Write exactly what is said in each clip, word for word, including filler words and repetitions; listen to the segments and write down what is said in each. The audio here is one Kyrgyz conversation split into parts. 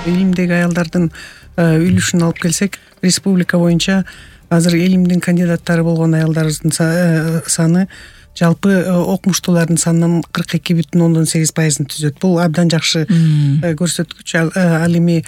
Илимдеги аялдардын үлүшүн алып келсек, республика боюнча азыр илимдин кандидаттары болгон аялдардын саны жалпы окумуштуулардын санынан кырк эки бүтүн ондон сегиз пайызын түзөт. Бул абдан жакшы көрсөткүч. Ал эми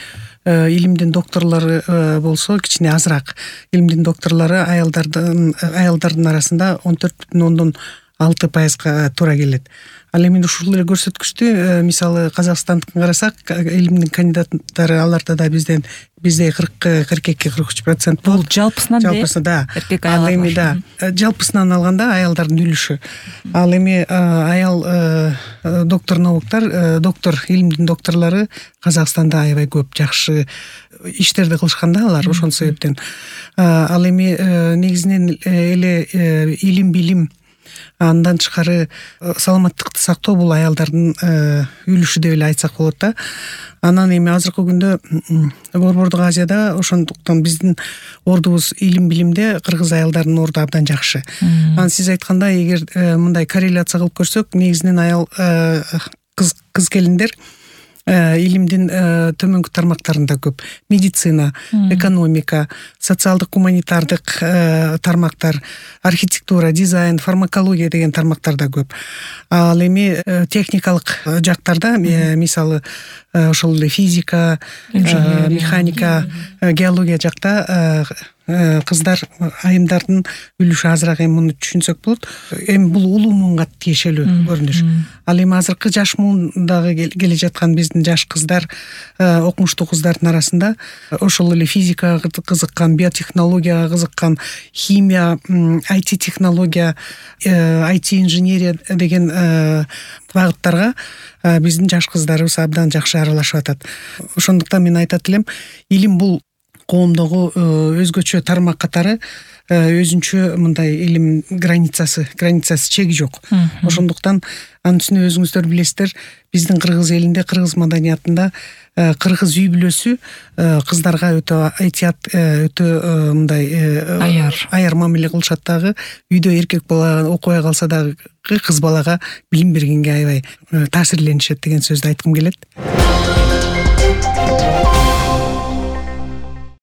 илимдин докторлору болсо кичине азыраак. Илимдин докторлору аялдардын аялдардын арасында он төрт бүтүн ондон алты пайызга туура келет. Ал эми ушул эле көрсөткүчтү мисалы Казакстандыкын карасак, илимдин кандидаттары аларда да бизден бизде кырк кырк эки кырк үч процент. Бул жалпысынан жалпысынан да. Эркек Ал аялдар. эми да жалпысынан алганда аялдардын үлүшү. Ал эми аял доктор науктар, доктор илимдин докторлору Казакстанда аябай көп, жакшы иштерди кылышкан да алар ошол себептен. Ал эми негизинен эле илим билим, андан тышкары саламаттыкты сактоо бул аялдардын үлүшү деп эле айтсак болот да. Анан эми азыркы күндө Борбордук Азияда ошондуктан биздин ордубуз илим билимде кыргыз аялдарынын орду абдан жакшы. Анан сиз айткандай, эгер мындай корреляция кылып көрсөк, негизинен аял кыз кыз келиндер илимдин төмөнкү тармактарында көп. Медицина, экономика, социалдык гуманитардык тармактар, архитектура, дизайн, фармакология деген тармактарда көп. Ал эми техникалык жактарда, мисалы ошол эле физика, механика, геология жакта кыздар айымдардын үлүшү азыраак. Эми муну түшүнсөк болот. Эми бул улуу муунга тиешелүү көрүнүш. Ал эми азыркы жаш муундагы келе жаткан биздин жаш кыздар, окумуштуу кыздардын арасында ошол эле физикага кызыккан, биотехнологияга кызыккан, химия, ай ти технология, ай ти инженерия деген багыттарга биздин жаш кыздарыбыз абдан жакшы аралашып атат. Ошондуктан мен айтат элем, илим бул коомдогу өзгөчө тармак катары өзүнчө мындай илим границасы, границасы чеги жок. Ошондуктан анын үстүнө өзүңүздөр билесиздер, биздин кыргыз элинде, кыргыз маданиятында кыргыз үй бүлөсү кыздарга өтө айтият, өтө мындай аяр аяр мамиле кылышат дагы. Үйдө эркек бала окубай калса дагы кыз балага билим бергенге аябай таасирленишет деген сөздү айткым келет.